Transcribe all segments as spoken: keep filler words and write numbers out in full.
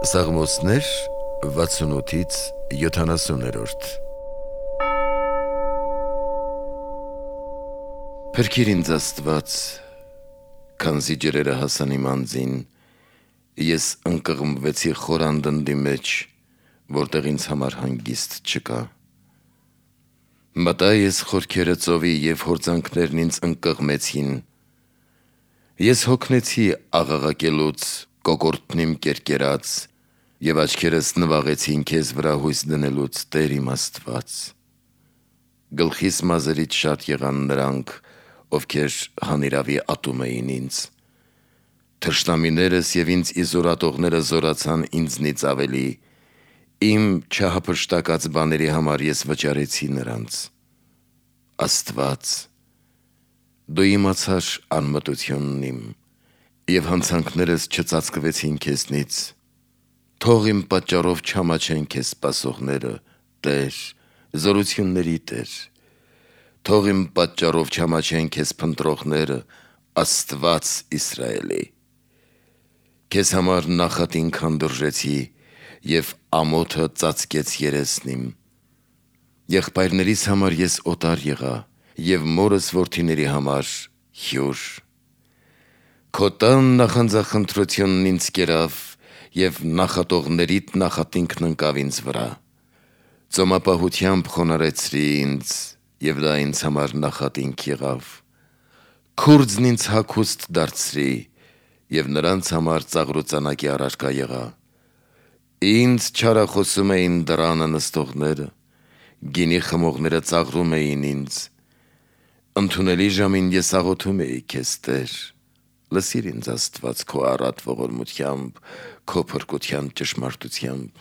Սաղմոսներ վաթսունութից յոթանասուններորդ Փրկիր ինձ Աստված, քանզի ջրերը հասան իմ անձին, ես ընկղմվեցի խոր անդնդի մեջ, որտեղ ինձ համար հանգիստ չկա։ Մտա ես խորքերը ծովի և հորձանքներն ինձ ընկղմեցին, ես հոգնեցի աղաղակելուց, կոկորդն իմ կերկերած, և աչքերս նվաղեցին քեզ վրա հույս դնելուց, Տեր իմ Աստված։ Գլխիս մազերից շատ եղան նրանք, ովքեր հանիրավի ատում էին ինձ։ Թշնամիներս և ինձ իզորատողները զորացան ինձնից ավելի, իմ չհափշտակած բաների համար ես վճարեցի նրանց։ Աստված, դու իմացար անմտությունն իմ, և հանցանքներս չծածկվեցին քեզնից։ Թող իմ պատճառով չամաչեն քեզ սպասողները, Տեր, զորությունների Տեր։ Թող իմ պատճառով չամաչեն քեզ փնտրողները, Աստված Իսրայելի։ Քեզ համար նախատինք հանդուրժեցի, և ամոթը ծածկեց երեսն իմ։ Եղբայրներիս համար ես օտար եղա, և մորս որդիների համար հյուր։ Քո տան նախանձախնդրությունն ինձ կերավ, և նախատողներիդ նախատինքն ընկավ ինձ վրա։ Ծոմապահությամբ խոնարհեցրի ինձ, և դա ինձ համար նախատինք եղավ։ Քուրձն ինձ հագուստ դարձրի, և նրանց համար ծաղրուծանակի առարկա եղա։ Ինձ չարախոսում էին դռանը նստողները, գինի խմողները ծաղրում էին ինձ։ Ընդունելի ժամին ես աղոթում էի քեզ, Տեր։ Լսիր ինձ Աստված քո առատ ողորմությամբ, քո փրկության ճշմարտությամբ։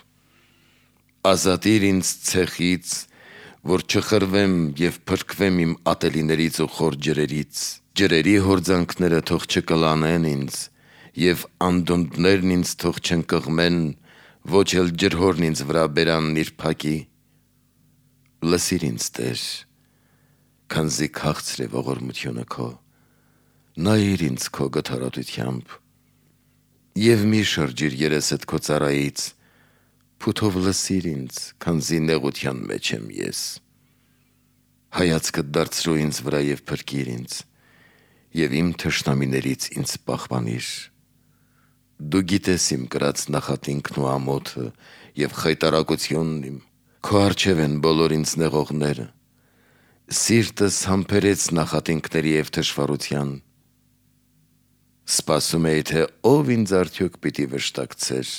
Ազատիր ինձ ցեխից, որ չխրվեմ և փրկվեմ իմ ատելիներից ու խոր ջրերից։ Ջրերի հորձանքները թող չկլանեն ինձ, և անդունդներն ինձ թող չընկղմեն, ոչ էլ ջրհորն ինձ վրա բերանն իր փակի։ Լսիր ինձ, Տեր, քանզի քաղցր է ողորմությունը քո, նայիր ինձ քո գթառատությամբ, և մի շրջիր երեսդ քո ծառայից, փութով լսիր ինձ, քանզի նեղության մեջ եմ ես։ Հայացքդ դարձրու ինձ վրա և փրկիր ինձ, և իմ թշնամիներից ինձ պահպանիր։ Դու գիտես իմ կրած նախատինքն ու ամոթը և խայտառակությունն իմ, քո առջև են բոլոր ինձ նեղողները։ Սիրտս համբերեց նախատինքների և թշվառության։ Սպասում էի, թե ով ինձ արդյոք պիտի վշտակցեր,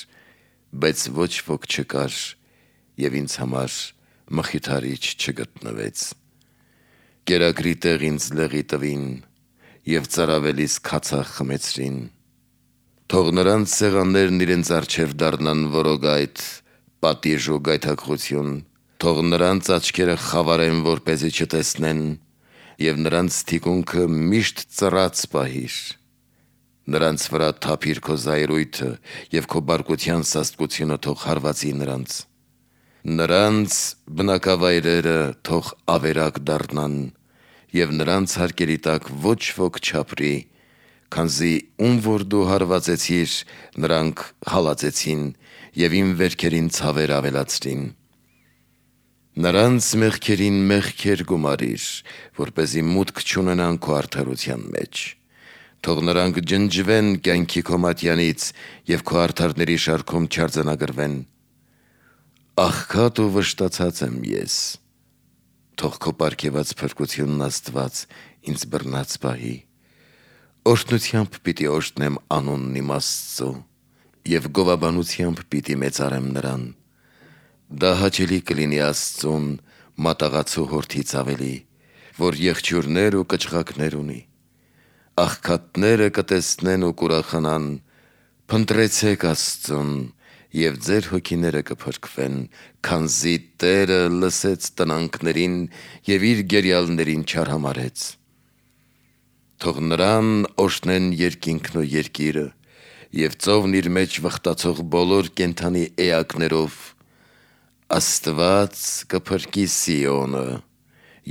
բայց ոչ ոք չկար, և ինձ համար մխիթարիչ չգտնվեց։ Կերակրի տեղ ինձ լեղի տվին, և ծարավելիս քացախ խմեցրին։ Թող նրանց սեղաններն իրենց առջև դառնան որոգայթ, պատիժ ու գայթակղություն, թող նրանց աչքերը խավարեն, որպեսզի չտեսնեն, և նրանց թիկունքը միշտ ծռած պահիր։ Նրանց վրա թափիր քո զայրույթը, և քո բարկության սաստկությունը թող հարվածի նրանց։ Նրանց բնակավայրերը թող ավերակ դառնան, և նրանց հարկերի տակ ոչ ոք չապրի, քանզի ում որ դու հարվածեցիր, նրանք հալածեցին, և իմ վերքերին ցավեր ավելացրին։ Նրանց մեղքերին մեղքեր գումարիր, որպեսզի մուտք չունենան քո արդարության մեջ։ Թող նրանք ջնջվեն կյանքի քո մատյանից, և քո արդարների շարքում չարձանագրվեն։ Աղքատ ու վշտացած եմ ես։ Թող քո պարգևած փրկությունն Աստված ինձ բռնած պահի։ Օրհնությամբ պիտի օրհնեմ անունն իմ Աստծու, և գովաբանությամբ պիտի մեծարեմ նրան։ Դա հաճելի կլինի Աստծուն մատաղացու հորթից ավելի, որ եղջյուրներ ու կչղակներ ունի։ Աղքատները կտեսնեն ու կուրախանան, փնտրեցեք Աստծուն, և ձեր հոգիները կփրկվեն, քանզի Տերը լսեց տնանքներին և իր գերյալներին չարհամարհեց։ Թող նրան օրհնեն երկինքն ու երկիրը, և ծովն իր մեջ վխտացող բոլոր կենդանի էակներով։ Աստված կփրկի Սիոնը,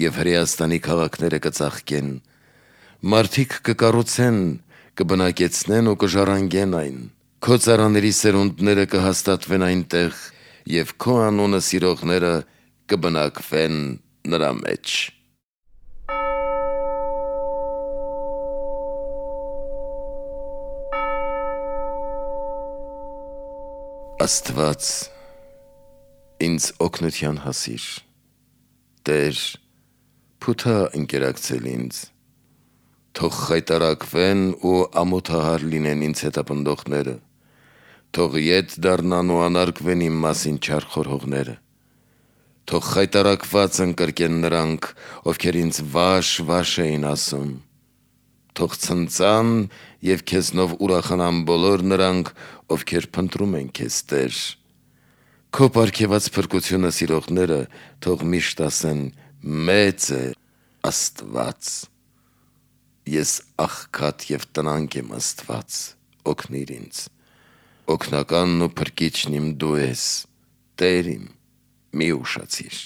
և Հրեաստանի քաղաքները կծաղկեն։ Մարդիկ կկառուցեն, կբնակեցնեն ու կժառանգեն այն։ Քո ծառաների սերունդները կհաստատվեն այնտեղ, եւ քո անունը սիրողները կբնակվեն նրա մեջ։ Աստված, ինձ օգնության հասիր, Տեր, փութա ընկերակցել ինձ, թող խայտարակվեն ու ամոթահար լինեն ինձ հետապնդողները, թող ետ դառնան ու անարգվեն իմ մասին չար խորհողները, թող խայտարակված ընկրկեն նրանք, ովքեր ինձ վաշ վաշ էին ասում, թող ցնծան եւ քեզնով ուրախանան բոլոր նրանք, ովքեր փնտրում են քեզ, Տեր, քո պարգևած փրկությունը սիրողները թող միշտ ասեն. մեծ է Աստված։ Ես աղքատ եւ տնանկ եմ, Աստված, օգնիր ինձ, օգնականն ու փրկիչն իմ դու ես, Տեր իմ, մի ուշացիր։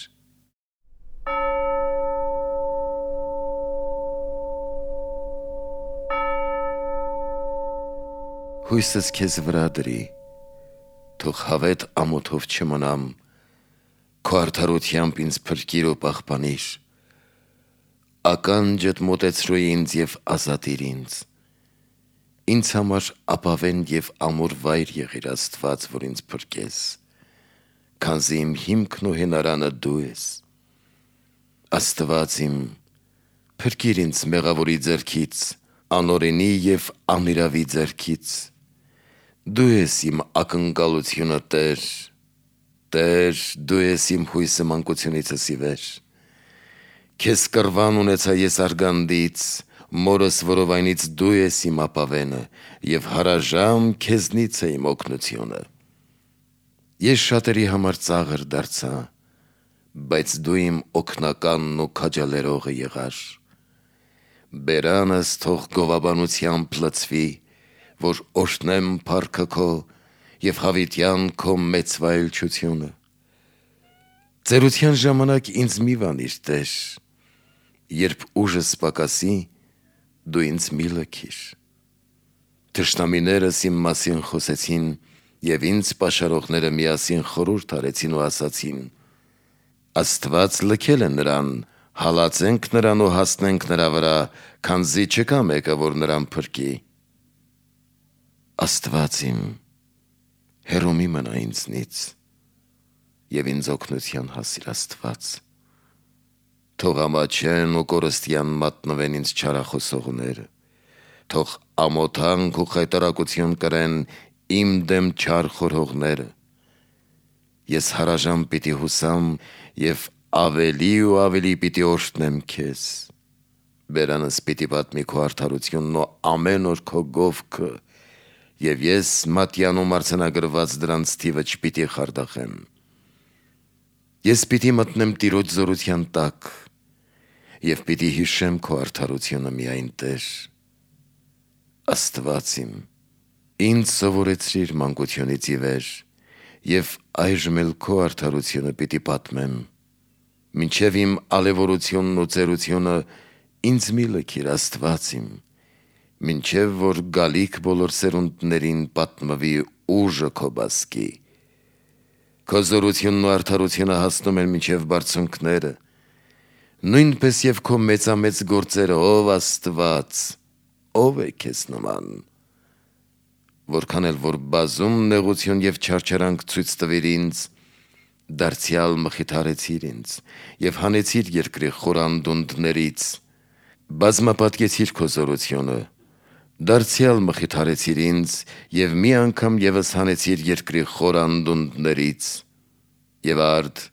Հույսս քեզ վրա դրի, թող հավետ ամոթով չմնամ, քո արդարությամբ ինձ փրկիր ու պահպանիր, ականջդ մոտեցրու ինձ եւ ազատիր ինձ, ինձ համար ապավեն եւ ամուր վայր եղիր, Աստված, որ ինձ փրկես, քանզի իմ հիմքն ու հենարանը դու ես, Աստված իմ, փրկիր ինձ մեղավորի ձեռքից, անօրենի եւ անիրավի ձեռքից, դու ես իմ ակնկալությունը, Տեր, Տեր, դու ես իմ հույսը մանկությունիցս ի վեր, քեզ կռվան ունեցա ես արգանդից, մորս որովայնից դու ես իմ ապավենը եւ հարաժամ քեզնից է իմ օգնությունը, ես շատերի համար ծաղր դարձա, բայց դու իմ օգնականն ու քաջալերողը եղար, բերանս թող գովաբանությամբ լցվի, որ օրհնեմ փառքը քո եւ հավիտյան քո մեծ վայելչությունը, ծերության ժամանակ ինձ մի վանիր, Տեր, երբ ուժս պակասի, դու ինձ մի լքիր, թշնամիներս իմ մասին խոսեցին եւ ինձ պաշարողները միասին խորհուրդ արեցին ու ասացին. Աստված լքել է նրան, հալածենք նրան ու հասնենք նրա վրա, քանզի չկա մեկը, որ նրան փրկի։ Աստված իմ, հեռու մի մնա ինձնից եւ ինձ օգնության հասիր, Աստված, թող ամաչեն ու կորստյան մատնվեն ինձ չարախոսողները, թող ամոթանք ու խայտարակություն կրեն իմ դեմ չար խորհողները, ես հարաժամ պիտի հուսամ եւ ավելի ու ավելի պիտի օրհնեմ քեզ, բերանս պիտի պատմի քո արդարությունն ու ամեն օր քո գովքը, եւ ես մատյանում արձանագրված դրանց թիվը չպիտի խարդախեմ, ես պիտի մտնեմ Տիրոջ զորության տակ եւ պիտի հիշեմ քո արդարությունը միայն, Տեր, Աստված իմ, ինձ սովորեցրիր մանկությունից ի վեր եւ այժմ էլ քո արդարությունը պիտի պատմեմ, մինչեւ իմ ալեվորությունն ու ծերությունը ինձ մի լքիր, Աստված իմ, մինչև որ գալիք բոլոր սերունդներին պատմվի ուժը քո բասկի, քո զորությունն ու արդարությունը հասնում են մինչև բարձունքները, նույնպես եւ քո մեծամեծ գործերը, ով Աստված, ով է քեզ նման, որքան էլ որ բազում նեղություն եւ չարչարանք ցույց տվիր ինձ, դարձյալ մխիթարեցիր ինձ եւ հանեցիր երկրի խորանդունդներից, բազմապատկեցիր քո զորությունը, դարձյալ մխիթարեցիր ինձ եւ մի անգամ եւս հանեցիր երկրի խորանդունդներից, եւ արդ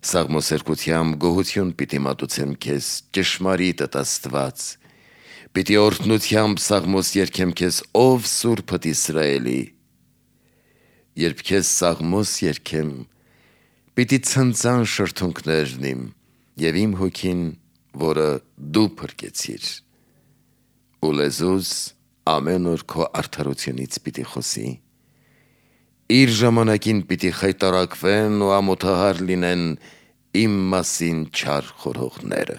սաղմոսերկությամբ գոհություն պիտի մատուցեմ քեզ, ճշմարիտդ Աստված, պիտի օրհնությամբ սաղմոս երգեմ քեզ, ով Սուրբդ Իսրայելի, երբ քեզ սաղմոս երգեմ, պիտի ցնծան շրթունքներն իմ եւ իմ հոգին, որը դու փրկեցիր, ու լեզուս ամեն օր քո արդարությունից պիտի խոսի, իր ժամանակին պիտի խայտարակվեն ու ամոթահար լինեն իմ մասին չար խորհողները։